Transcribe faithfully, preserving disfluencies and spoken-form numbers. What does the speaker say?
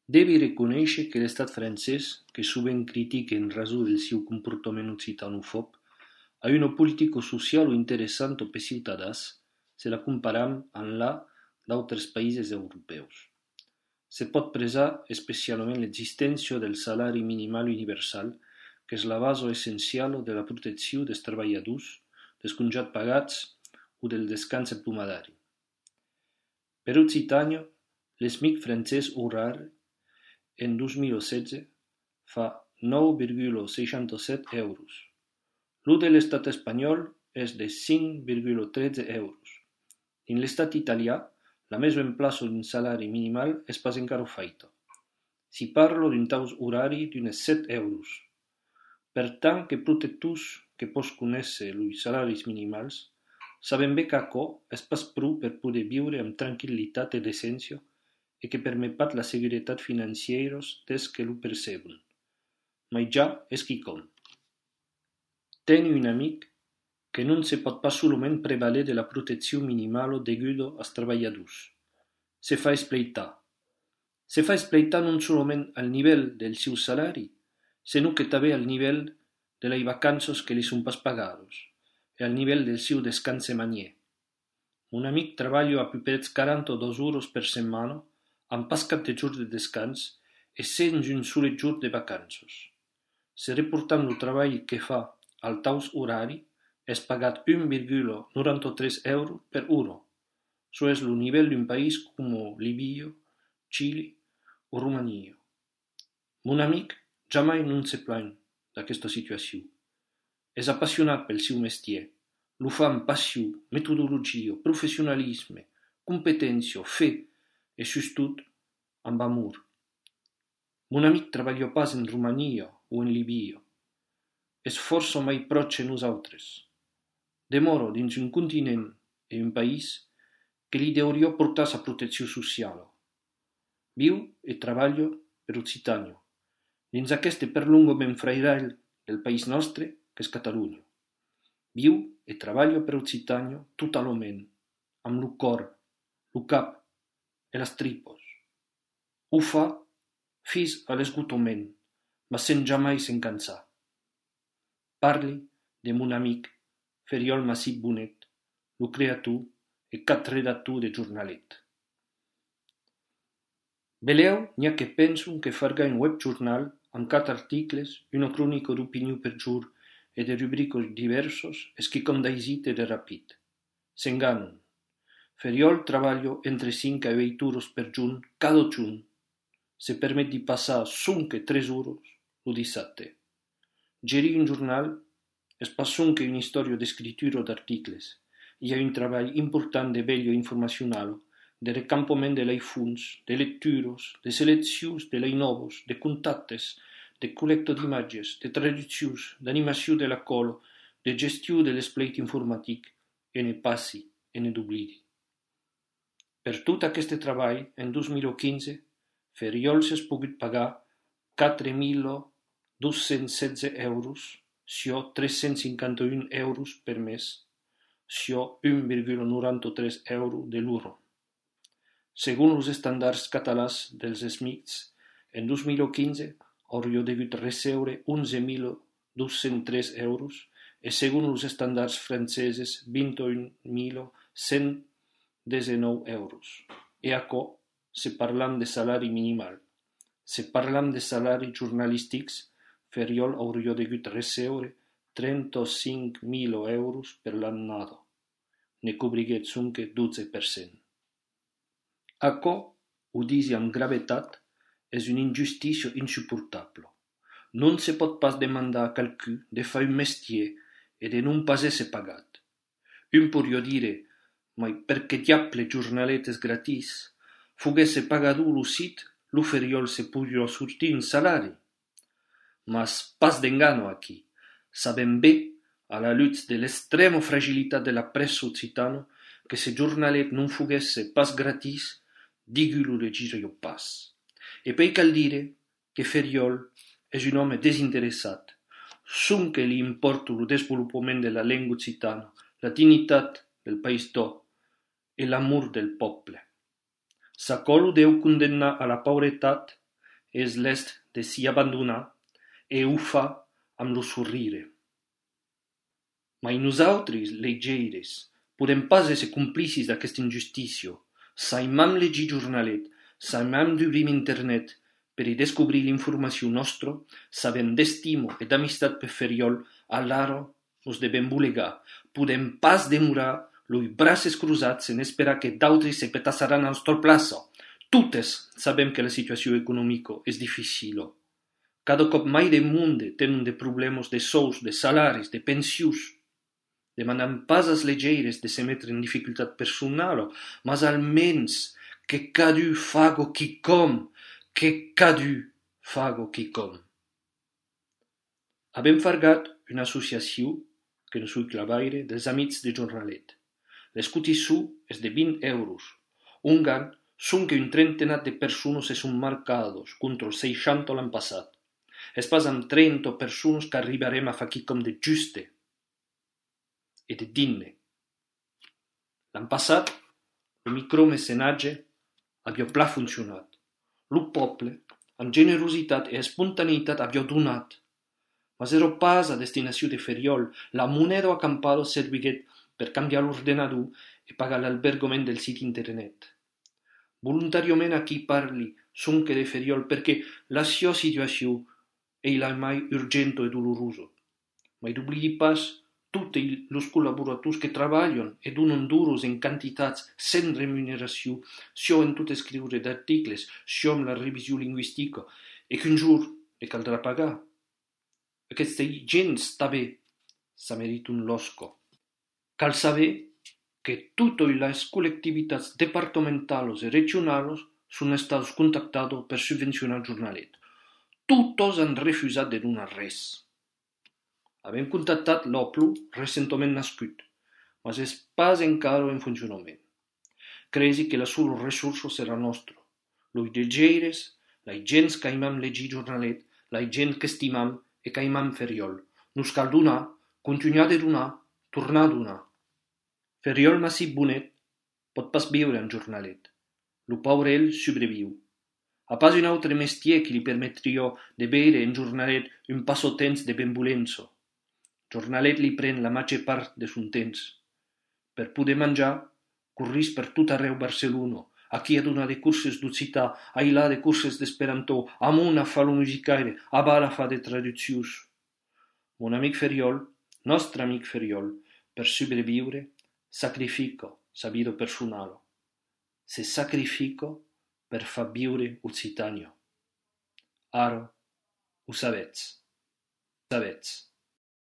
Devi reconèixer que l'estat francès, que sovint critica en raó del seu comportament occitanofòb, ha una politica sociala interessant per ciutadans si la comparam amb la d'altres països europeus. Se pot presar especialment l'existència del salari minimal universal, que és la base essencial de la protecció dels treballadors, dels congats pagats o del descans hebdomadari. Per Occitània, l'ESMIC francès horari en dos mil setze fa nou virgula seixanta-set euros. Lo de l'estat espanyol és de cinc virgula tretze euros. En l'estat italià, la mesa en plaça d'un salari minimal és pas encara feta. Si parlo d'un taus horari d'unes set euros. Per tant que protectors que pos conèixer els salaris minimals, saben bé qu'aquò és pas prou per poder viure amb tranquil·litat i decència e que permet pas la seguretat financiera des que lo perceben. Ma ja és quicom. Tengo un amic que non se pot pas solament prevaler de la protecció minimal deguda als treballadors. Se fa espleitar. Se fa espleitar non solament al nivell del seu salari, sinó que també al nivell de les vacances que li són pas pagades e al nivell del seu descans semanier. Un amic treballa a prop quaranta-dos hores per setmana amb pas cap de jours de descans e sense un sol jour de vacances. Se reportant el treball que fa al taus horari, és pagat un virgula noranta-tres euros per hora. Això és el nivell d'un país com Líbia, Xile o Romania. Mon amic jamais non se plaint d'aquesta situació. És apassionat pel seu mestier. Lo fa amb passió, metodologia, professionalisme, competència, fe e, sobretot, amb amor. Mon amic treballa pas en Romania o en Líbia. És força mai proche nosaltres. Demora dins un continent e un país que li hauria portar sa protecció social. Viu e treballa per Occitània, dins aquest perllongament frairal del país nostre, que és Catalunya. Viu e treballa per Occitània totalment, amb el cor, el cap e les tripes. Ho fa fins a l'esgotament, ma sen jamais se'n cansar. Parli de mon amic Feriol Massip Bonet, el creator e cap redactor de jornalet. Veleu n'hi ha que pensen que farga un webjornal amb quatre articles, una crònica d'opinió per jour e de rubriques diverses és que com d'aisit e de ràpid. S'enganen. Feriol treballa entre cinc a vuit hores per junt cada junt. Se permet de passar sonque tres hores el dissabte. Gerir un jornal és pas sonque una història d'escritura d'articles. Hi ha un treball important de vetlla informacional, de recampament de les fonts, de lectures, de seleccions de les noves, de contactes, de col·lecta d'imatges, de traduccions, d'animació de la cola, de gestió de l'espleit informàtic, e ne passi e ne d'oblidi. Per tot aquest treball, en dos mil quinze, Feriol s'ha pogut pagar quatre mil dos-cents setze euros, sur tres-cents cinquanta-un euros per mes, sur un virgula noranta-tres euros de l'euro. Segons els estàndards catalans dels SMICs, en dos mil quinze hauria degut recebre onze mil dos-cents tres euros e segons els estàndards franceses vint-i-un mil cent dinou euros. E aquò, se parlam de salari minimal. Se parlam de salaris jornalístics, Feriol hauria degut recebre trenta-cinc mil euros per l'annada. Ne cobriguet sonque dotze per cent. Aquò, ho disi amb gravetat, és una injustícia insuportable. Non se pot pas demandar a qualcú de fer un mestier e de non pas ésser pagat. Un podria dire, ma per che diable giornaletes gratis? Foguesse pagado lo sit, lo Feriol se podria sortir un salari. Mas pas d'engano aquí. Sabem bé, a la luz de l'estrema fragilitat de la pressa occitana, que se giornalet non foguesse pas gratis, digulo de girio pas. E poi cal dire che Feriol és un home desinteressat. Sonque li importa lo desenvolupament de la lengua occitana, la dignitat del país d'O e l'amor del poble. S'aquò lo deu condemnar a la pauretat és l'est de s'hi abandonar e ho fa amb lo sorrire. Ma nosaltres, legiaires, podem pas ésser complicis d'aquesta injustícia. Saimam legir jornalet, saimam d'obrir internet per i descobrir l'informació nostra, sabem d'estimo e d'amistat per feriol, allara nos devem bulegar. Podem pas demorar los braços cruzats en esperar que d'autres se petassaran a nostra plaça. Totes sabem que la situació econòmica és difícil. Cada cop mai de monde tenen de problemes de sous, de salaris, de pensions. Demandam pas als legiaires de se metre en dificultat personal, mas almens que cadu fago quicom, que cadu fago quicom. Abem fargat una associació, que no sui clavaire, dels amics de jornalet. Les cotissu és de vint euros. Un gan són que un trentenat de persones se són marcados contra els seixanta l'any passat. És pas amb trenta persones que arribarem a fer quicom de juste e de digne. L'any passat, el micromecenatge havia pla funcionat. El poble, amb generositat e espontaneïtat, havia donat. Mas era pas a destinació de feriol. La moneda acampada serviguet per canviar l'ordenador e pagar l'albergament del sit internet. Voluntàriament aquí parli sonque de feriol perquè la sua situació è la mai urgente e dolorosa. Ma n'oblidi pas tutti els col·laborators que treballen e donen duros en quantitats sense remuneració, sia en tot escriure d'articles, sia en la revisió lingüística, e qu'un jour li caldrà pagar. Aquesta gent també s'amerita un losco. Cal saber que totes les col·lectivitats departamentals i regionals són estats contactades per subvencionar el jornalet. Totes han refusat de donar res. Abem contactat l'Oplu recentment nascut, mas és pas encara en funcionament. Cresi que la sola ressourça serà nostra. Los legiaires, la gent que aimam legir jornalet, la gent que estimam e que aimam feriol. Nos cal donar, continuar de donar, tornar a donar. Feriol massip bonet pot pas viure en jornalet. Lo paure ell sobreviu. A pas un altre mestier que li permetria de veure en jornalet un passatemps de benvolença. Jornalet li pren la major part de son temps. Per poder menjar, corris per tot arreu Barcelona. Aquí a donar de curses d'occità, a ilà de curses d'esperantó, amunt a fa lo musicaire, a bar a fa de traduccions. Mon amic Feriol, nostre amic Feriol, per sobreviure, sacrifica sa vida personal. Se sacrifica per far viure Occitània. Ara ho sabets. Sabets.